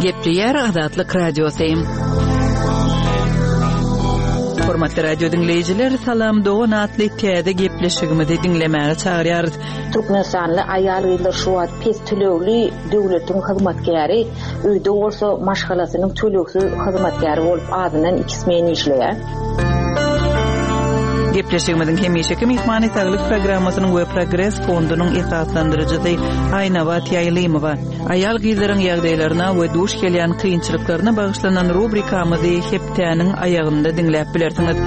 Gepleýär Azatlyk Radiosy. Hormatly radio diňleýjiler, Salam dogan atly täze gepleşigimizi diňlemäge çagyrýarys. Türkmenistanly aýal-gyzlar şu wagt pes tölegli döwletiň hyzmatkäri, öýde bolsa maşgalasynyň tölegsiz hyzmatkäri bolup azyndan iki smen işleýär. Gepleşigimiziň hemişeki myhmany Saglyk programmasynyň we Progres fondunyň esaslandyryjysy Aýnabat Ýaýlymowa. Aýal-gyzlaryň ýagdaýlaryna we duş gelýän kynçylyklaryna bagyşlanan rubrikamyzy hepdäniň aýagynda diňläp bilersiňiz.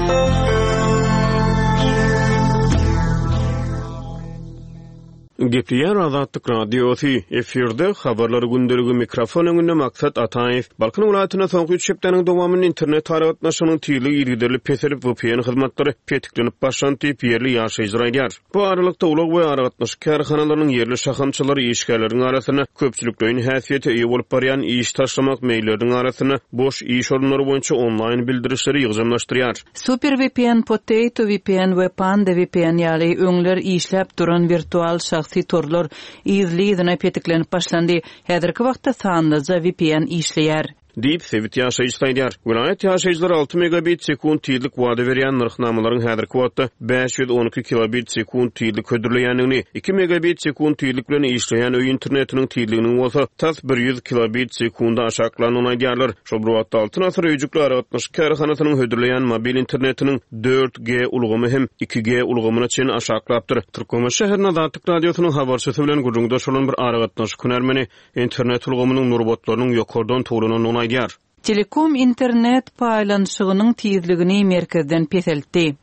Gepleýär Azatlyk Radiosy, efirde Habarlar gündeligi, mikrofon öňünde Maksat Ataýew. Balkan welaýatynda soňky üç hepdäniň dowamynda internet aragatnaşygynyň tizligi yzygiderli peselip, vpn hyzmatlary petiklenip başlandy diýip, ýerli ýaşaýjylar aýdýar. Bu aralykda, ulag we aragatnaşyk kärhanalarynyň ýerli şahamçalary işgärleriň arasynda köpçülikleýin häsiýete eýe bolup barýan iş taşlamak meýilleriniň arasynda boş iş orunlary boýunça onlaýn bildirişleri ýygjamlaşdyrýar. SuperVPN, Potato VPN we Panda VPN ýaly öňler işläp duran wirtual şahsy torlar yzly-yzyna petiklenip başlandy. Häzirki wagtda sanlyja VPN işleýär. Diýip, sebit ýaşaýjysy aýdýar. Welaýat ýaşaýjylary alty megabit sekunt tizlik wada berýän nyrhnamalaryň häzirki wagtda 512 kilobit sekunt tizlik hödürleýändigini, iki megabit sekunt tizlik bilen işleýän öý internetiniň tizliginiň bolsa tas 100 kilobit sekunda aşaklandygyny aýdýarlar. Şol bir wagtda, Altyn asyr öýjükli aragatnaşyk kärhanasynyň hödürleýän mobil internetiniň dört G ulgamy hem iki G ulgamyna çenli aşaklapdyr. Türkmenbaşy şäherinde Azatlyk Radiosynyň habarçysy bilen gürrüňdeş bolan bir aragatnaşyk hünärmeni internet ulgamynyň nurbatlarynyň ýokardan towlanandygyny aýdýar. Telekom internet paýlanyşygynyň tizligini merkezden peseltdi.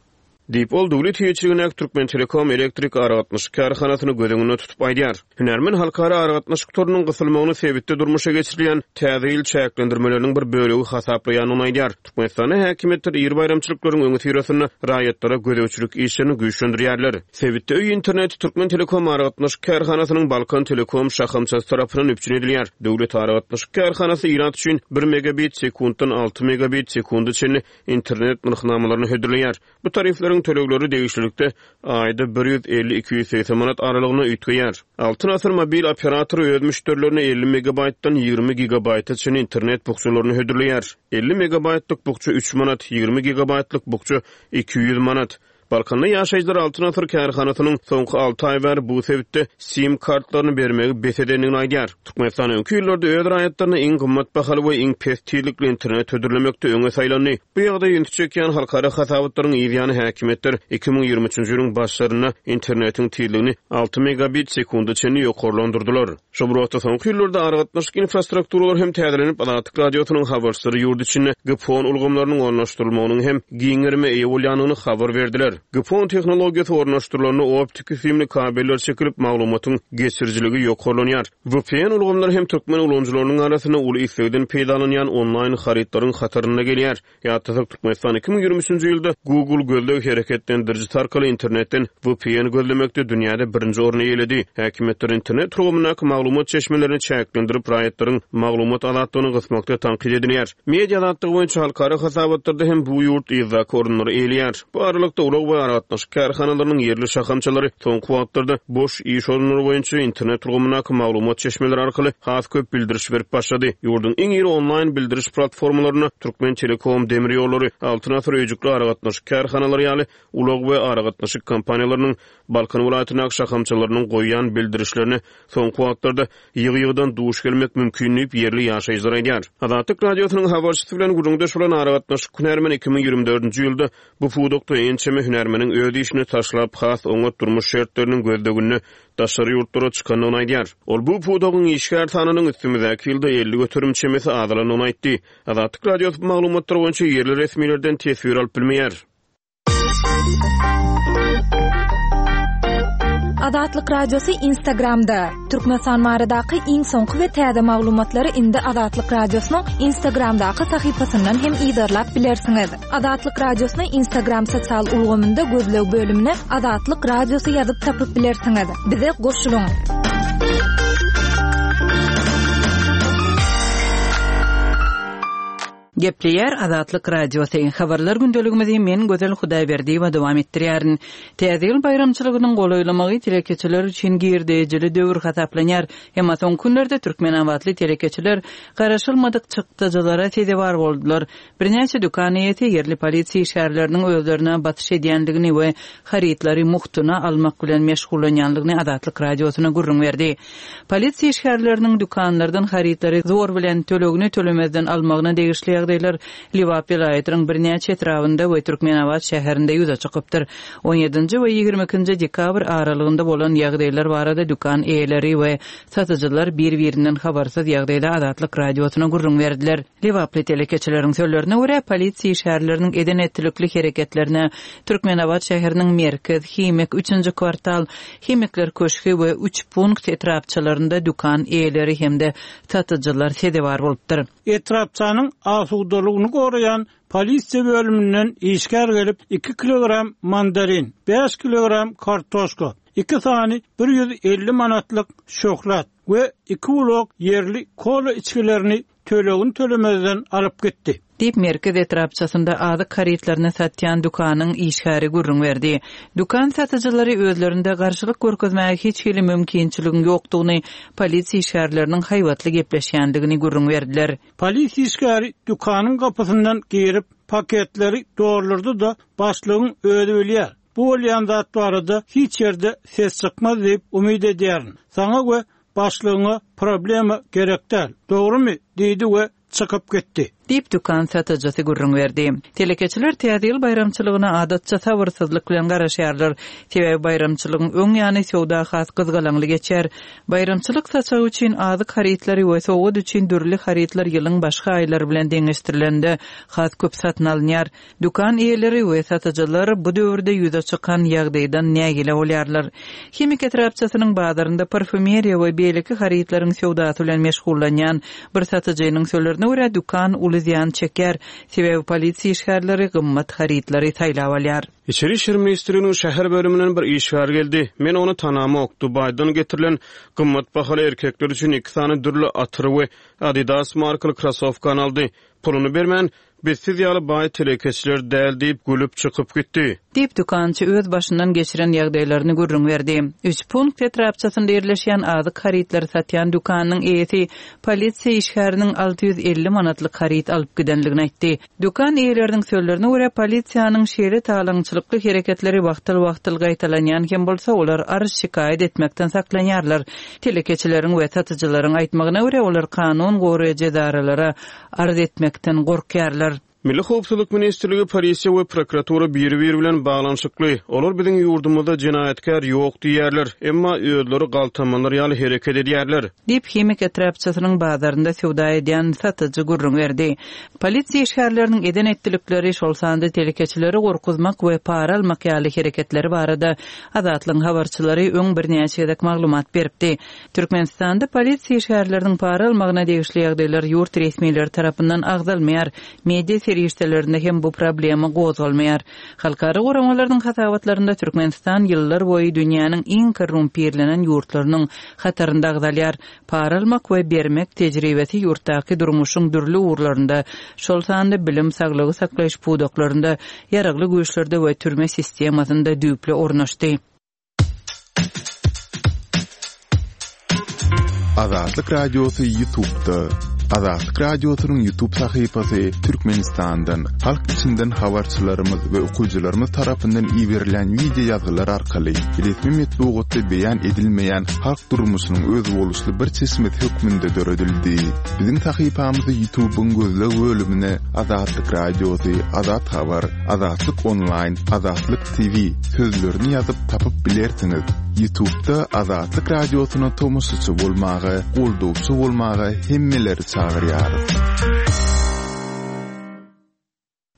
Diýip, ol döwlet eýeçiligindäki Türkmentelekom elektrik aragatnaşyk kärhanasyny göz öňünde tutup aýdýar. Hünärmen halkara aragatnaşyk torunyň gysylmagyny sebitde durmuşa geçirilýän Täze ýyl çäklendirmeleriniň bir bölegi hasaplaýandygyny aýdýar. Türkmenistanda häkimiýetler iri baýramçylyklaryň öňüsyrasynda raýatlara gözegçilik işlerini güýçlendirýärler. Sebitde öý interneti Türkmentelekom aragatnaşyk kärhanasynyň Balkan Telekom şahamçasy tarapyndan üpjün edilýär. Döwlet aragatnaşyk kärhanasy ilat üçin bir megabit sekuntdan alty megabit sekunda çenli internet nyrhnamalaryny hödürleýär. Bu tarifleriň tölegleri degişlilikde aýda 150, 280 manat aralygynda üýtgeýär. Altyn Asyr mobil operatory öz müşderilerine 50 megabaýtdan 20 gigabaýta çenli internet bukjalaryny hödürleýär. 50 megabaýtlyk bukja üç manat, 20 gigabaýtlyk bukja 200 manat. Balkanda ýaşaýjylar Altyn Asyr kärhanasynyň soňky alty aý bäri bu sebitde sim kartlaryny bermegi bes edendigini aýdýar. Türkmenistan öňki ýyllarda öz raýatlaryna iň gymmat bahaly we iň pes tizlikli internet hödürlemekde öňe saýlandy. Bu ýagdaýa ünsi çekýän halkara hasabatlaryň yz ýany häkimiýetler 2023-nji ýylyň başlarynda internetiň tizligini alty megabit sekunda çenli ýokarlandyrdylar. Şol bir wagtda, soňky ýyllarda aragatnaşyk infrastrukturalary hem täzelenip, Azatlyk Radiosynyň habarçylary ýurt içinde GPON ulgamlarynyň ornaşdyrylmagynyň hem giň gerime eýe bolýandygyny habar berdiler. GPON tehnologiýasy ornaşdyrylanda optiki süýümli kabeller çekilip, maglumatyň geçirijiligi ýokarlanýar. VPN ulgamlary hem türkmen ulanyjylarynyň arasynda uly islegden peýdalanýan onlaýn harytlaryň hatarynda gelýär. Ýatlasak, Türkmenistan 2023-nji ýylda Google gözleg hereketlendirijisi arkaly internetden VPN gözlemekde dünýäde birinji orny eýeledi. Häkimiýetler internet ulgamyndaky maglumat çeşmelerini çäklendirip, raýatlaryň maglumat azatlygyny gysmakda tankyt edilýär. Media azatlygy boýunça halkara hasabatlarda hem bu ýurt yzdaky orunlary eýeleýär. Bu aralykda, ulag we aragatnaşyk kärhanalarynyň ýerli şahamçalary soňky wagtlarda boş iş orunlary boýunça internet ulgamyndaky maglumat çeşmeleri arkaly has köp bildiriş berip başlady. Ýurduň iň iri onlaýn bildiriş platformalarynda Türkmentelekom, Demir ýollary, Altyn asyr öýjükli aragatnaşyk kärhanalary ýaly ulag we aragatnaşyk kompaniýalarynyň Balkan welaýatyndaky şahamçalarynyň goýýan bildirişlerine soňky wagtlarda ýygy-ýygydan duş gelmek mümkin diýip, ýerli ýaşaýjylar aýdýar. Azatlyk Radiosynyň habarçysy bilen gürrüňdeş bolan aragatnaşyk hünärmeni 2024-nji ýylda bu pudakda ençeme hünärmeniň öz işini taşlap, has oňat durmuş şertleriniň gözleginde daşary ýurtlara çykandygyny aýdýar. Ol bu pudagyň işgär sanynyň üstümizdäki ýylda 50% çemesi azalandygyny aýtdy. Azatlyk Radiosy bu maglumatlar boýunça ýerli resmilerden teswir alyp bilmeýär. Azatlyk Radiosy Instagramda, Türkmenistan baradaky iň soňky we täze maglumatlary indi Azatlyk Radiosynyň Instagramdaky sahypasyndan hem yzarlap bilersiňiz. Azatlyk Radiosyny Instagram sosial ulgamynda gözleg bölümine Azatlyk Radiosy ýazyp tapyp bilersiňiz. Bize goşulyň! Gepleýär Azatlyk Radiosy. Habarlar gündeligimizi men Gözel Hudaýberdiýewa dowam etdirýärin. Täze ýyl baýramçylygynyň golaýlamagy telekeçiler üçin girdejili döwür hasaplanýar. Emma soňky günlerde türkmenabatly telekeçiler garaşylmadyk çykdajylara sezewar boldular. Birnäçe dükan eýesi ýerli polisiýa işgärleriniň özlerine basyş edýändigini we harytlary mugtuna almak bilen meşgullanýandygyny Azatlyk Radiosyna gürrüň berdi. Polisiýa işgärleriniň dükanlardan harytlary zor bilen, tölegini tölemezden almagyna degişli ýagdaýlar Lebap welaýatynyň birnäçe etrabynda we Türkmenabat şäherinde ýüze çykypdyr. On ýedinji we 22 nji dekabr aralygynda bolan ýagdaýlar barada dükan eýeleri we satyjylar bir-birinden habarsyz ýagdaýda Azatlyk Radiosyna gürrüň berdiler. Lebaply telekeçileriň sözlerine görä, polisiýa işgärleriniň eden-etdilikli hereketlerine Türkmenabat şäheriniň Merkez, Himik, Üçünji kwartal, Himikler köşgi we Üç punkt etrapçalarynda dükan eýeleri hem-de satyjylar sezewar bolupdyr. Etrapçanyň asudalygyny goraýan polisiýa bölüminden işgär gelip, iki kilogram mandarin, bäş kilogram kartoşka, iki sany 150 manatlyk şöhlat we iki ulak ýerli kola içgilerini tölegini tölemezden alyp gitdi. Diýip, Merkez etrapçasynda azyk harytlaryny satýan dükanyň işgäri gürrüň berdi. Dükan satyjylary özlerinde garşylyk görkezmäge hiç hili mümkinçiligiň ýokdugyny, polisiýa işgärleriniň haýbatly gepleşýändigini gürrüň berdiler. Polisiýa işgäri dükanyň gapysyndan girip, paketleri doldurdy-da, başlygyň özi bilýär, bu bolýan zat barada hiç ýerde ses çykmaz diýip umyt edýärin. Saňa we Başlygyňa problema gerek däl, dogrumy? diýdi we çykyp gitdi. Diýip, dükan satyjysy gürrüň berdi. Telekeçiler Täze ýyl baýramçylygyna adatça sabyrsyzlyk bilen garaşýarlar. Sebäbi baýramçylygyň öň ýany söwda has gyzgalaňly geçýär. Baýramçylyk saçagy üçin azyk harytlary we sowgat üçin dürli harytlar ýylyň başga aýlary bilen deňeşdirilende has köp satyn alynýar. Dükan eýeleri we satyjylar bu döwürde ýüze çykan ýagdaýdan nägile bolýarlar. Himik etrapçasynyň bazarynda parfýumeriýa we beýleki harytlaryň söwdasy bilen meşgullanýan bir satyjynyň sözlerine görä, dükan uly zyýan çekýär, sebäbi polisiýa işgärleri gymmat harytlary saýlap alýar. Içeri işler ministrliginiň şäher bölüminden bir işgär geldi. Men ony tanamok. Dubaýdan getirilen gymmat bahaly erkekler üçin iki sany dürli atyry we Adidas markaly krossowkany aldy. Puluny bermän, Biz siz ýaly baý telekeçiler däl diýip, gülüp çykyp gitdi. Diýip, dükançy öz başyndan geçiren ýagdaýlaryny gürrüň berdi. Üç punkt etrapçasynda ýerleşýän azyk harytlary satýan dükanynyň eýesi polisiýa işgäriniň 650 manatlyk haryt alyp gidenligini aýtdy. Dükan eýeleriniň sözlerine görä, polisiýanyň şeýle talaňçylykly hereketleri wagtal-wagtal gaýtalanýan hem bolsa, olar arz-şikaýat etmekden saklanýarlar. Telekeçileriň we satyjylaryň aýtmagyna görä, olar kanun goraýjy edaralara arz etmekden gorkýarlar. Milli howpsuzlyk ministrligi, polisiýa we prokuratura biri-biri bilen baglanyşykly. Olar biziň ýurdumyzda jenaýatkär ýok diýýärler, emma özleri galtamanlar ýaly hereket edýärler. Diýip, Himik etrapçasynyň bazarynda söwda edýän satyjy gürrüň berdi. Polisiýa işgärleriniň eden-etdilikleri, şol sanda telekeçileri gorkuzmak we para almak ýaly hereketleri barada Azatlygyň habarçylary öň birnäçe gezek maglumat beripdi. Türkmenistanda polisiýa işgärleriniň para almagyna degişli ýagdaýlar ýurt resmileri tarapyndan agzalmaýar, media serişdelerinde hem bu problema gozgalmaýar. Halkara guramalarynyň hasabatlarynda Türkmenistan ýyllar boýy dünýäniň iň korrumpirlenen ýurtlarynyň hatarynda agzalýar. Para almak we bermek tejribesi ýurtdaky durmuşyň dürli ugurlarynda, şol sanda bilim, saglygy saklaýyş pudaklarynda, ýaragly güýçlerde we türme sistemasynda düýpli ornaşdy. Azatlyk Radiosy Ýutubda. Azatlyk Radiosynyň Ýutub sahypasy Türkmenistandan, halk içinden habarçylarymyz we okyjylarymyz tarapyndan iberilen wideo ýazgylar arkaly resmi metbugatda beýan edilmeýän halk durmuşynyň özboluşly bir çeşmesi hökmünde döredildi. Biziň sahypamyzy Ýutubyň gözleg bölümine Azatlyk Radiosy, Azat Habar, Azatlyk Onlaýn, Azatlyk TV sözlerini ýazyp tapyp bilersiňiz. Ýutubda Azatlyk Radiosyna tomaşaçy bolmaga, goldawçy bolmaga hemmeleri çagyrýarys.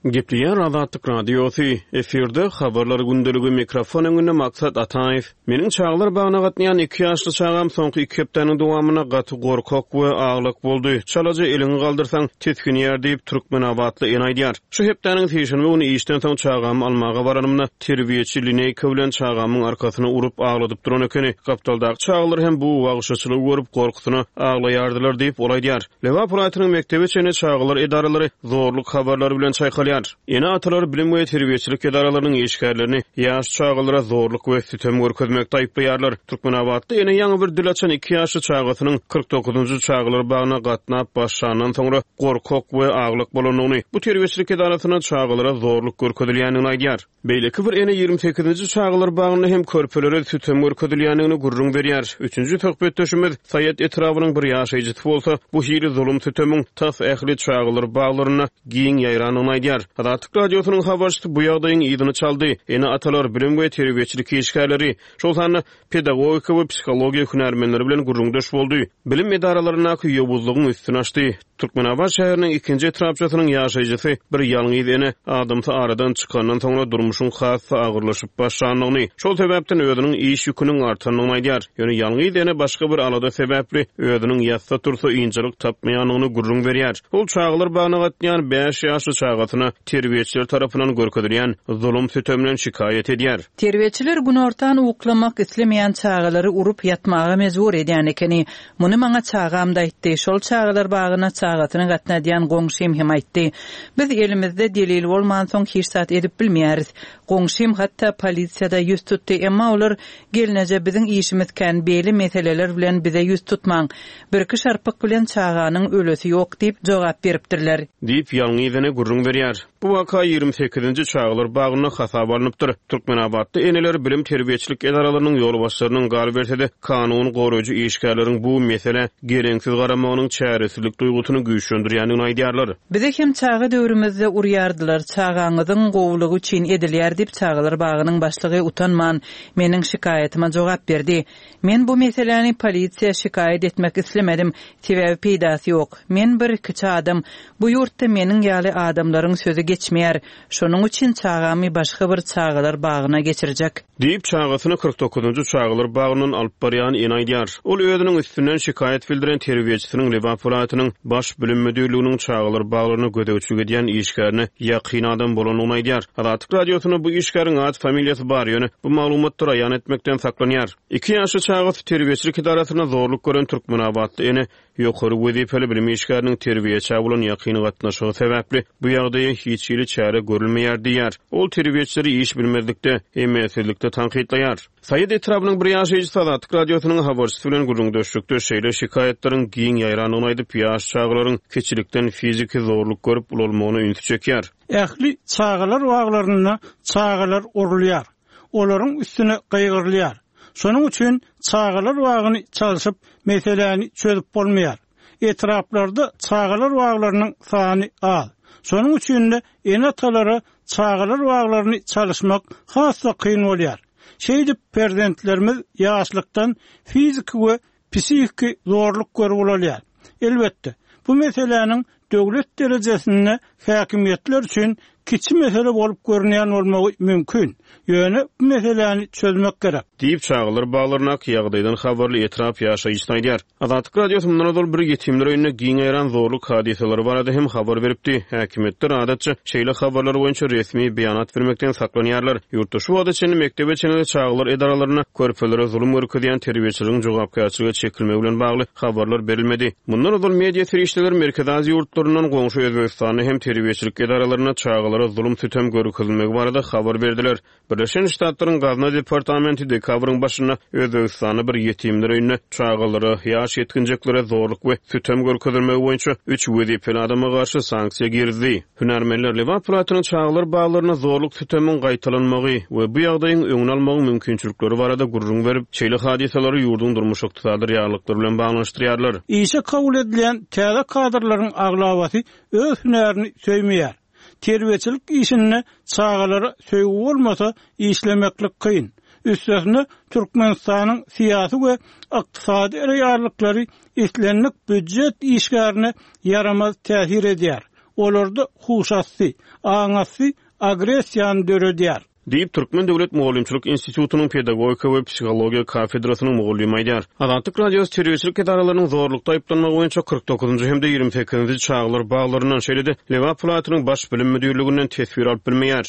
Gepleýär Azatlyk Radiosy, efirde Habarlar gündeligi, mikrofon öňünde Maksat Ataýew. Meniň çagalar bagyna gatnaýan iki ýaşly çagam soňky iki hepdäniň dowamynda gaty gorkak we aglak boldy. Çalaja eliňi galdyrsaň, tisginýär diýip, türkmenabatly ene aýdýar. Şu hepdäniň sişenbe güni işden soň çagamy almaga baranymda, terbiýeçi lineýka bilen çagamyň arkasyna urup agladyp duran ekeni. Gapdaldaky çagalar hem bu wagşyçylygy görüp, gorkusyna aglaýardylar diýip, ol aýdýar. Lebap welaýatynyň mekdebe çenli çagalar edaralary zorluk habarlary bilen çaýkalýar. Ene-atalar bilim we terbiýeçilik edaralarynyň işgärlerini ýaş çagalara zorluk we sütem görkezmekde aýyplaýarlar. Türkmenabatda ene ýaňy bir dil açan iki ýaşly çagasynyň 49-njy çagalar bagyna gatnap başlandan soňra gorkak we aglak bolandygyny, bu terbiýeçilik edarasynda çagalara zorluk görkezilýändigini aýdýar. Beýleki bir ene 28-nji çagalar bagynda hem körpelere sütem görkezilýändigini gürrüň berýär. Üçünji söhbetdeşimiz Saýat etrabynyň bir ýaşaýjysy bolsa, bu hili zulum-sütemiň tas ähli çagalar baglarynda giň ýaýrandygyny aýdýar. Azatlyk Radiosynyň habarçysy bu ýagdaýyň yzyny çaldy. Ene-atalar, bilim we terbiýeçilik işgärleri, şol sanda pedagogika we psihologiýa hünärmenleri bilen gürrüňdeş boldy. Bilim edaralaryndaky ýowuzlygyň üstüni açdy. Türkmenabat şäheriniň ikinji etrapçasynyň ýaşaýjysy bir ýalňyz ene adamsy aradan çykandan soňra durmuşyň has-da agyrlaşyp başlandygyny, şol sebäpden özüniň iş ýüküniň artandygyny aýdýar. Ýöne ýalňyz ene başga bir alada sebäpli özüniň ýatsa-tursa ynjalyk tapmaýandygyny gürrüň berýär. Ol çagalar bagyna gatnaýan bäş ýaşly çagasyna terbiýeçiler tarapyndan görkezilýän zulum-sütemden şikaýat edýär. Terbiýeçiler günortan uklamak islemeýän çagalary urup ýatmaga mejbur edýän ekeni. Muny maňa çagam-da aýtdy, şol çagalar bagyna çagasyny gatnadýan goňşym hem aýtdy. Biz elimizde delil bolmansoň hiç zat edip bilmeýäris. Goňşym hatda polisiýada ýüz tutdy, emma olar Gelneje biziň işimiz kän beýle meseleler bilen bize ýüz tutmaň. Birki şarpyk bilen çaganyň ölesi ýok diýip jogap beripdirler. Diýip, ýalňyz ene gürrüň berýär. Bu waka 28-nji çagalar bagynda hasaba alnypdyr. Türkmenabatda eneler bilim-terbiýeçilik edaralarynyň ýolbaşçylarynyň, galyberse-de, kanun goraýjy işgärleriň bu meselä geleňsiz garamagynyň çäresizlik duýgusyny güýçlendirýändigini aýdýarlar. Bizi hem çaga döwrümizde urýardylar, çagaňyzyň gowulygy üçin edilýär diýip, çagalar bagynyň başlygy utanman, meniň şikaýatyma jogap berdi. Men bu meseläni polisiýa şikaýat etmek islemedim, sebäbi peýdasy ýok. Men bir kiçi adam, bu ýurtda meniň ýaly adamlaryň sözi geçmeýär. Şonuň üçin çagamy başga bir çagalar bagyna geçirjek. Diýip, çagasyny 49-njy çagalar bagyndan alyp barýan ene aýdýar. Ol özüniň üstünden şikaýat bildiren terbiýeçisiniň Lebap welaýatynyň Baş bilim müdirliginiň çagalar baglaryna gözegçilik edýän işgärine ýakyn adam bolandygyny aýdýar. Azatlyk Radiosynda bu işgäriň at-familiýasy bar, ýöne bu maglumatlary aýan etmekden saklanýar. Iki ýaşly çagasy terbiýeçilik edarasynda zorluk gören türkmenabatly ene ýokary wezipeli bilim işgäriniň terbiýeçä bolan ýakyn gatnaşygy sebäpli bu ýagdaýa hiç hili çäre görülmeýär diýýär. Ol terbiýeçileri iş bilmezlikde, emelsizlikde tankytlaýar. Saýat etrabynyň bir ýaşaýjysy Azatlyk Radiosynyň habarçysy bilen gürrüňdeşlikde şeýle şikaýatlaryň giň ýaýrandygyny aýdyp, ýaş çagalaryň kiçilikden fiziki zorluk görüp ulalmagyna ünsi çekýär. Ähli çagalar baglarynda çagalar urulýar, olaryň üstüne gygyrylýar. Şonuň üçin çagalar bagyny çalşyp, meseläni çözüp bolmaýar. Etraplarda çagalar baglarynyň sany az. Şonuň üçin-de ene-atalara çagalar baglaryny çalyşmak has-da kyn bolýar. Şeýdip, perzentlerimiz ýaşlykdan fiziki we psihiki zorluk görüp ulalýar. Elbetde, bu meseläniň döwlet derejesinde häkimiýetler üçin kiçi mesele bolup görünýän bolmagy mümkin, ýöne bu meseläni çözmek gerek. Diýip, çagalar baglaryndaky ýagdaýdan habarly etrap ýaşaýjysy aýdýar. Azatlyk Radiosy mundan ozal bir ýetimler öýünde giň ýaýran zorluk hadysalary barada hem habar beripdi. Häkimiýetler, adatça, şeýle habarlar boýunça resmi beýanat bermekden saklanýarlar. Ýurtda şu wagta çenli mekdebe çenli çagalar edaralarynda körpelere zulum görkezýän terbiýeçileriň jogapkärçilige çekilmegi bilen bagly habarlar berilmedi. Mundan ozal media serişdeleri Merkezi Aziýa ýurtlaryndan goňşy Özbegistanda hem terbiýeçilik edaralarynda çagalara zulum-sütem görkezilmegi barada habar berdiler. Birleşen Ştatlaryň Gazna departamenti dekabryň başynda Özbegistanda bir ýetimler öýünde çagalara, ýaş ýetginjeklere zorluk we sütem görkezilmegi boýunça üç wezipeli adama garşy sanksiýa girizdi. Hünärmenler Lebap welaýatynyň çagalar baglarynda zorluk-sütemiň gaýtalanmagy we bu ýagdaýyň öňüni almagyň mümkinçilikleri barada gürrüň berip, şeýle hadysalary ýurduň durmuş-ykdysady reallyklary bilen baglanyşdyrýarlar. Işe kabul edilýän täze kadrlaryň aglabasy öz hünärini söýmeýär. Terbiýeçilik işinde çagalara söýgi bolmasa, işlemeklik kyn. Üstesine, Türkmenistanyň syýasy we ykdysady reallyklary islendik býujet işgärine ýaramaz täsir edýär. Olarda huşasty, aňasty agressiýany döredýär. Diýip, Türkmen döwlet mugallymçylyk institutynyň pedagogika we psihologiýa kafedrasynyň mugallymy aýdýar. Azatlyk Radiosy terbiýeçilik edaralarynyň zorlukda aýyplanmagy boýunça 49-njy hem-de 28-nji çagalar baglaryndan, şeýle-de Lebap welaýatynyň Baş bilim müdirliginden teswir alyp bilmeýär.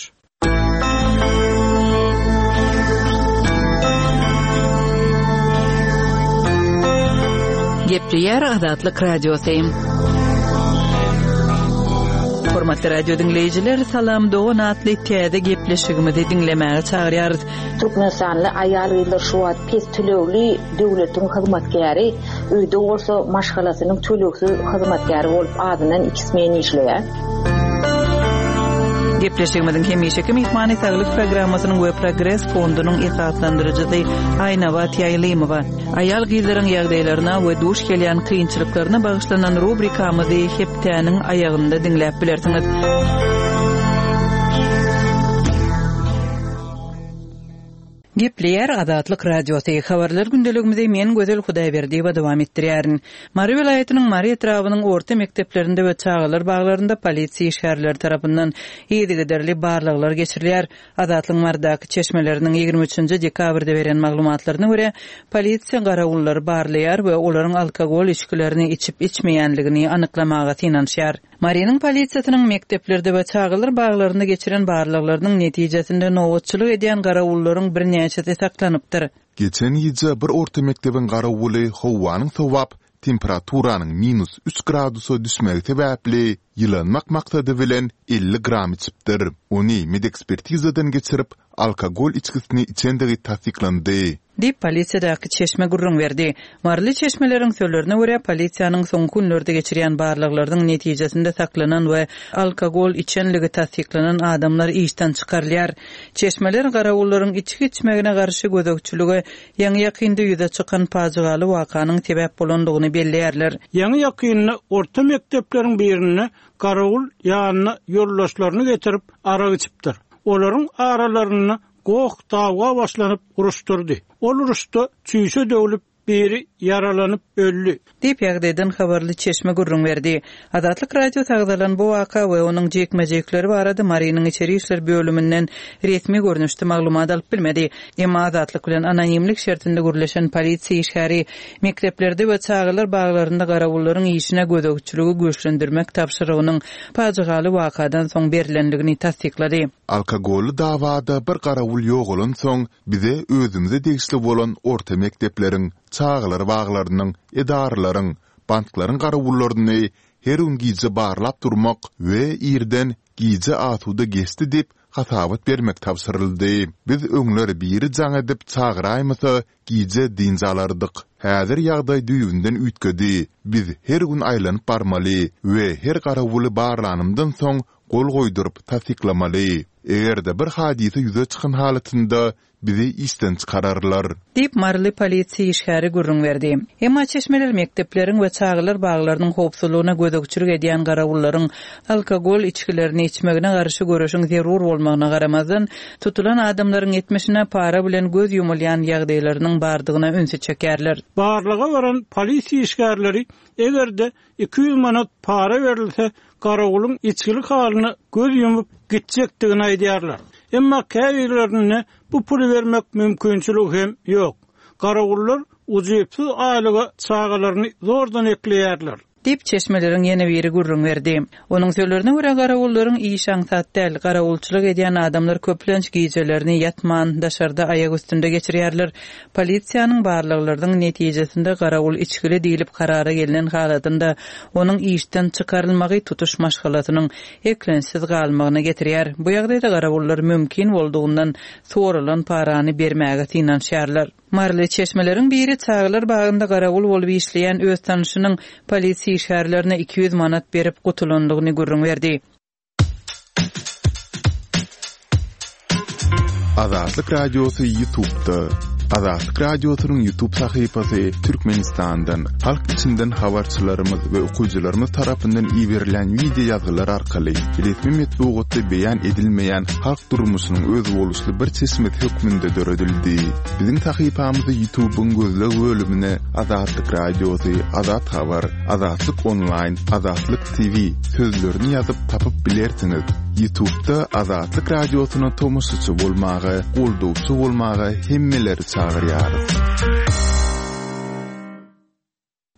Gepleýär Azatlyk Radiosy. Hormatly radio diňleýjiler, Salam dogan atly täze gepleşigimizi diňlemäge çagyrýarys. Türkmenistanly aýal-gyzlar şu wagt pes tölegli döwletiň hyzmatkäri, öýde bolsa maşgalasynyň tölegsiz hyzmatkäri bolup azyndan iki smen işleýär. Gepleşigimiziň hemişeki myhmany Saglyk programmasynyň we Progres fondunyň esaslandyryjysy Aýnabat Ýaýlymowa. Aýal-gyzlaryň ýagdaýlaryna we duş gelýän kynçylyklaryna bagyşlanan rubrikamyzy hepdäniň aýagynda diňläp bilersiňiz. Gepleýär Azatlyk Radiosy, Habarlar gündeligimizi men Gözel Hudaýberdiýewa dowam etdirýärin. Mary welaýatynyň Mary etrabynyň orta mekdeplerinde we çagalar baglarynda polisiýa işgärleri tarapyndan yzygiderli barlaglar geçirilýär. Azatlygyň Marydaky çeşmeleriniň 23-nji dekabrda beren maglumatlaryna görä, polisiýa garawullary barlaýar we olaryň alkogol içgilerini içip-içmeýänligini anyklamaga synanyşýar. Marynyň polisiýasynyň mekdeplerde we çagalar baglarynda geçiren barlaglarynyň netijesinde nobatçylyk edýän garawullaryň birnäçesi saklanypdyr. Geçen gije bir orta mekdebiň garawuly howanyň sowap, temperaturanyň minus üç gradusa düşmegi sebäpli, ýylanmak maksady bilen 50 gram içipdir. Ony medekspertizadan geçirip, alkogol içgisini içendigi tassyklandy. Diýip, polisiýadaky çeşme gürrüň berdi. Maryly çeşmeleriň sözlerine görä, polisiýanyň soňky günlerde geçirýän barlaglarynyň netijesinde saklanan we alkogol içenligi tassyklanan adamlar işden çykarylýar. Çeşmeler garawullaryň içgi içmegine garşy gözegçilige ýaňy-ýakynda ýüze çykan pajygaly wakanyň sebäp bolandygyny belleýärler. Ýaňy-ýakynda orta mekdepleriň birinde garawul ýanyna ýoldaşlaryny getirip arak içipdir. Olaryň aralarynda goh-dawa başlanyp uruşdyrdy. Ol uruşda çüýşe döwlüp, biri ýaralanyp öldi. Diýip, ýagdaýdan habarly çeşme gürrüň berdi. Azatlyk Radiosy agzalan bu waka we onuň jikme-jikleri barada Marynyň içeri işler bölüminden resmi görnüşde maglumat alyp bilmedi. Emma Azatlyk bilen anonimlik şertinde gürleşen polisiýa işgäri mekdeplerde we çagalar baglarynda garawullaryň işine gözegçiligi güýçlendirmek tabşyrygynyň pajygaly wakadan soň berlendigini tassyklady. Alkogolly dawada bir garawul ýogalansoň, bize özümize degişli bolan orta mekdepleriň, çagalar baglarynyň, edaralaryň, banklaryň garawullaryny her gün gije barlap durmak we irden gije asuda geçdi diýip hasabat bermek tabşyryldy. Biz öňler biri jaň edip çagyraýmasa gije dynç alardyk. Häzir ýagdaý düýbünden üýtgedi. Biz her gün aýlanyp barmaly we her garawuly barlanymdan soň gol goýduryp tassyklamaly. Eger-de bir hadysa ýüze çykan halatynda bizi işden çykararlar. Diýip, maryly polisiýa işgäri gürrüň berdi. Emma çeşmeler mekdepleriň we çagalar baglarynyň howpsuzlygyna gözegçilik edýän garawullaryň alkogol içgilerini içmegine garşy göreşiň zerur bolmagyna garamazdan, tutulan adamlaryň etmişine para bilen göz ýumulýan ýagdaýlarynyň bardygyna ünsi çekýärler. Barlaga baran polisiýa işgärleri eger-de 200 manat para berilse, garawulyň içgili halyna göz ýumup gitjekdigini aýdýarlar. Emma käbirlerinde bu puly bermek mümkinçiligi hem ýok. Garawullar ujypsyz aýlyga çagalaryny zordan ekleýärler. Diýip, çeşmeleriň ýene biri gürrüň berdi. Onuň sözlerine görä, garawullaryň işi aňsat däl. Garawulçylyk edýän adamlar köplenç gijelerini ýatman, daşarda aýak üstünde geçirýärler. Polisiýanyň barlaglarynyň netijesinde garawul içgili diýlip karara gelnen halatynda, onuň işden çykarylmagy tutuş maşgalasynyň eklençsiz galmagyna getirýär. Bu ýagdaýda garawullar mümkin boldugyndan soralan parany bermäge synanyşýarlar. Maryly çeşmeleriň biri çagalar bagynda garawul bolup işleýän öz tanyşynyň polisiýa işgärlerine 200 manat berip gutulandygyny gürrüň berdi. Azatlyk Radiosy YouTube'da. Azatlyk Radiosynyň YouTube sahypasy Türkmenistandan, halk içinden habarçylarymyz we okyjylarymyz tarapyndan iberilýän wideo ýazgylar arkaly resmi metbugatda beýan edilmeýän halk durmuşynyň özboluşly bir çeşmesi hökmünde döredildi. Biziň sahypamyzy YouTube-yň gözleg bölümine Azatlyk Radiosy, Azat Habar, Azatlyk Onlaýn, Azatlyk TV sözlerini ýazyp tapyp bilersiňiz. Ýutubda Azatlyk Radiosyna tomaşaçy bolmaga, goldawçy bolmaga hemmeleri çagyrýarys.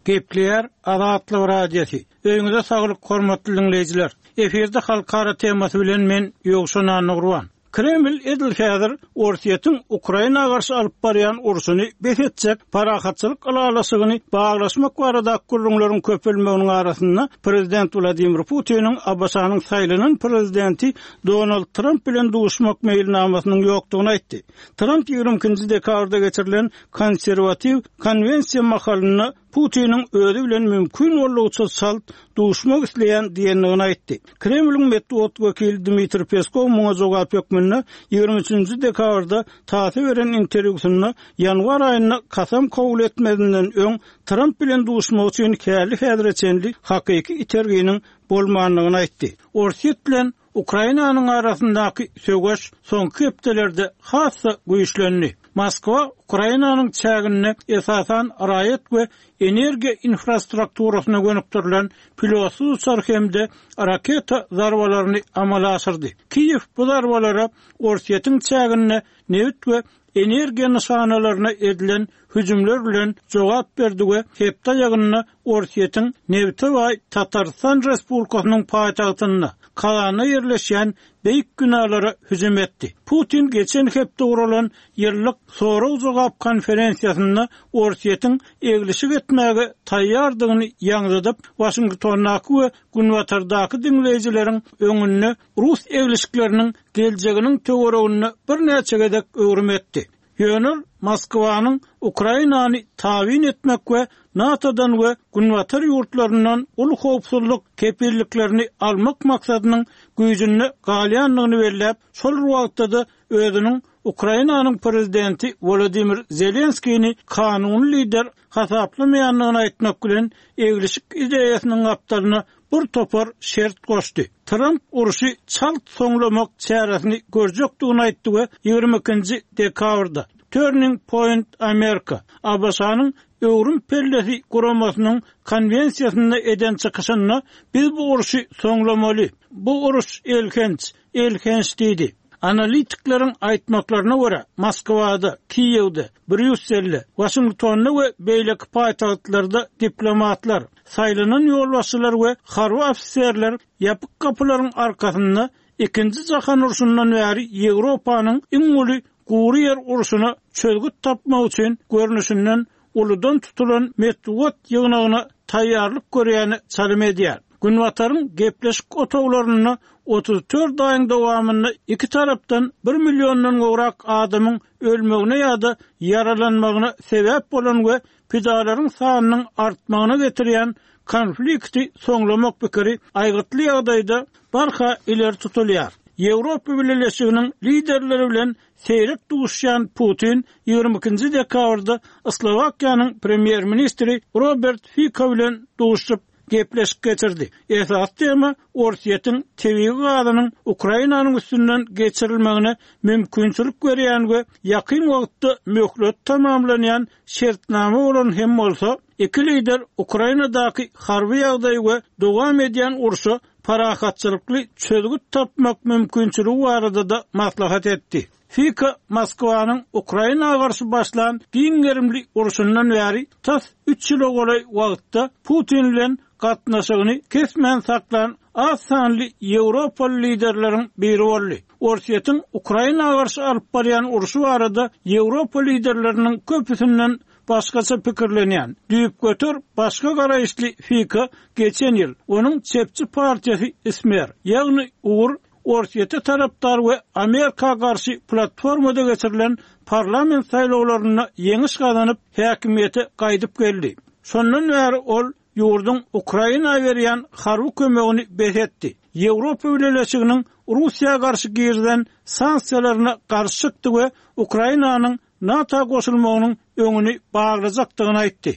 Gepleýär Azatlyk Radiosy. Öýüňize saglyk hormatly diňleýjiler. Efirde halkara temasy bilen men Ýowşan Annagurban. Kreml edil häzir Orsýetiň Ukraina garşy alyp barýan urşuny bes etjek parahatçylyk ylalaşygyny baglaşmak baradaky gürrüňleriň köpelmeginiň arasynda prezident Wladimir Putiniň ABŞ-nyň saýlanan prezidenti Donald Tramp bilen duşmak meýilnamasynyň ýokdugyny aýtdy. Tramp 22-nji dekabrda geçirilen konserwatiw konwensiýa mahalynda Putiniň özi bilen mümkin boldugyça çalt duşmak isleýän diýendigini aýtdy. Kremliň metbugat wekili Dmitriý Peskow muňa jogap hökmünde 23-nji dekabrda TASS-a beren interwýusynda ýanwar aýynda kasam kabul etmezinden öň Tramp bilen duşmak üçin häli-häzire çenli hakyky iterginiň bolmandygyny aýtdy. Orsýet bilen Ukrainanyň arasyndaky söweş soňky hepdelerde has-da güýçlendi. Moskwa Ukrainanyň çäginde esasan raýat we energiýa infrastrukturasyna gönükdirilen pilotsyz uçar hem-de raketa zarbalaryny amala aşyrdy. Kiýew bu zarbalara Orsýetiň çäginde nebit we energiýa nyşanalaryna edilen hüjümler bilen jogap berdi we hepde aýagynda Orsýetiň nebite baý Tatarystan Respublikasynyň paýtagtynda, Kazanda ýerleşýän beýik binalara hüjüm etdi. Putin geçen hepde guralan ýyllyk sorag-jogap konferensiýasynda Orsýetiň eglişik etmäge taýýardygyny ýaňzydyp, Waşingtondaky we Günbatardaky diňleýjileriň öňünde rus eglişikleriniň geljeginiň töwereginde birnäçe gezek öwrüm etdi. Ýöne ol Moskwanyň Ukrainany tabyn etmek we NATO-dan we Günbatar ýurtlaryndan uly howpsuzlyk kepilliklerini almak maksadynyň güýjünde galýandygyny belläp, şol bir wagtda-da özüniň Ukrainanyň prezidenti Wolodymyr Zelenskini kanuny lider hasaplamaýandygyny aýtmak bilen, eglişik ideýasynyň gapdalyna bir topar şert goşdy. Tramp urşy çalt soňlamak çäresini görjekdigini aýtdy we 22-nji dekabrda Turning Point America, ABŞ-nyň Öwrüm pellesi guramasynyň konwensiýasynda eden çykyşynda biz bu urşy soňlamaly. Bu uruş elhenç, elhenç diýdi. Analitikleriň aýtmaklaryna görä, Moskwada, Kiýewde, Brýusselde, Waşingtonda we beýleki paýtagtlarda diplomatlar, saýlanan ýolbaşçylar we harby ofiserler ýapyk gapylaryň arkasynda Ikinji jahan urşundan bäri Ýewropanyň iň uly gury ýer urşuna çözgüt tapmak üçin görnüşinden uludan tutulan metbugat ýygnagyna taýýarlyk görýäne çalym edýär. Günbataryň gepleşik otaglarynda 34 aýyň dowamynda iki tarapdan bir milliondan gowrak adamyň ölmegine ýa-da ýaralanmagyna sebäp bolan we pidalaryň sanynyň artmagyna getirýän konflikti soňlamak pikiri aýgytly ýagdaýda barha ileri tutulýar. Ýewropa Bileleşiginiň liderleri bilen seýrek duşýan Putin 22-nji dekabrda Slowakiýanyň premýer-ministri Robert Fiko bilen duşuşyp, gepleşik geçirdi. Esasy tema Orsýetiň tebigy gazynyň Ukrainanyň üstünden geçirilmegine mümkinçilik berýän we ýakyn wagtda möhleti tamamlanýan şertnama bolan hem bolsa, iki lider Ukrainadaky harby ýagdaý we dowam edýän urşa parahatçylykly çözgüt tapmak mümkinçiligi barada-da maslahat etdi. Fiko Moskwanyň Ukraina garşy başlan giň gerimli urşundan bäri tas üç ýyla golaý wagtda Putin bilen gatnaşygyny kesmän saklan az sanly ýewropaly liderleriň biri boldy. Orsýetiň Ukraina garşy alyp barýan urşy barada ýewropa liderleriniň köpüsinden başgaça pikirlenýän, düýpgöter başga garaýyşly Fiko geçen ýyl onuň çepçi partiýasy Smer, ýagny Ugur Orsýete tarapdar we Amerika garşy platformada geçirilen parlament saýlawlarynda ýeňiş gazanyp, häkimiýete gaýdyp geldi. Şondan bäri ol ýurduň Ukraina berýän harby kömegini bes etdi, Ýewropa Bileleşiginiň Russiýa garşy girizen sanksiýalaryna garşy çykdy we Ukrainanyň. NATO goşulmagynyň öňüni baglajakdygyny aýtdy.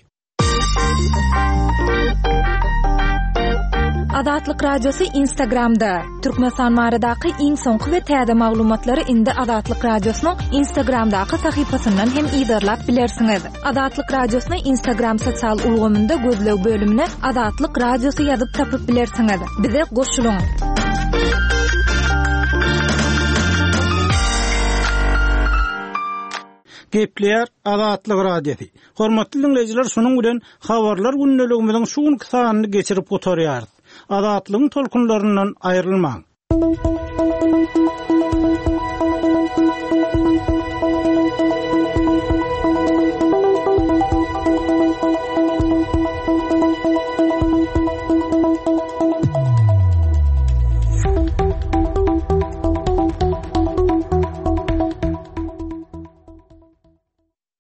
Azatlyk Radiosy Instagramda, Türkmenistan baradaky iň soňky we täze maglumatlary indi Azatlyk Radiosynyň Instagramdaky sahypasyndan hem yzarlap bilersiňiz. Azatlyk Radiosyny Instagram sosial ulgamynda gözleg bölümine Azatlyk Radiosy ýazyp tapyp bilersiňiz. Bize goşulyň! Gepleýär Azatlyk Radiosy. Hormatly diňleýjiler, şunuň bilen Habarlar gündeligimiziň şu günki sanyny geçirip gutarýarys. Azatlygyň tolkunlaryndan aýrylmaň!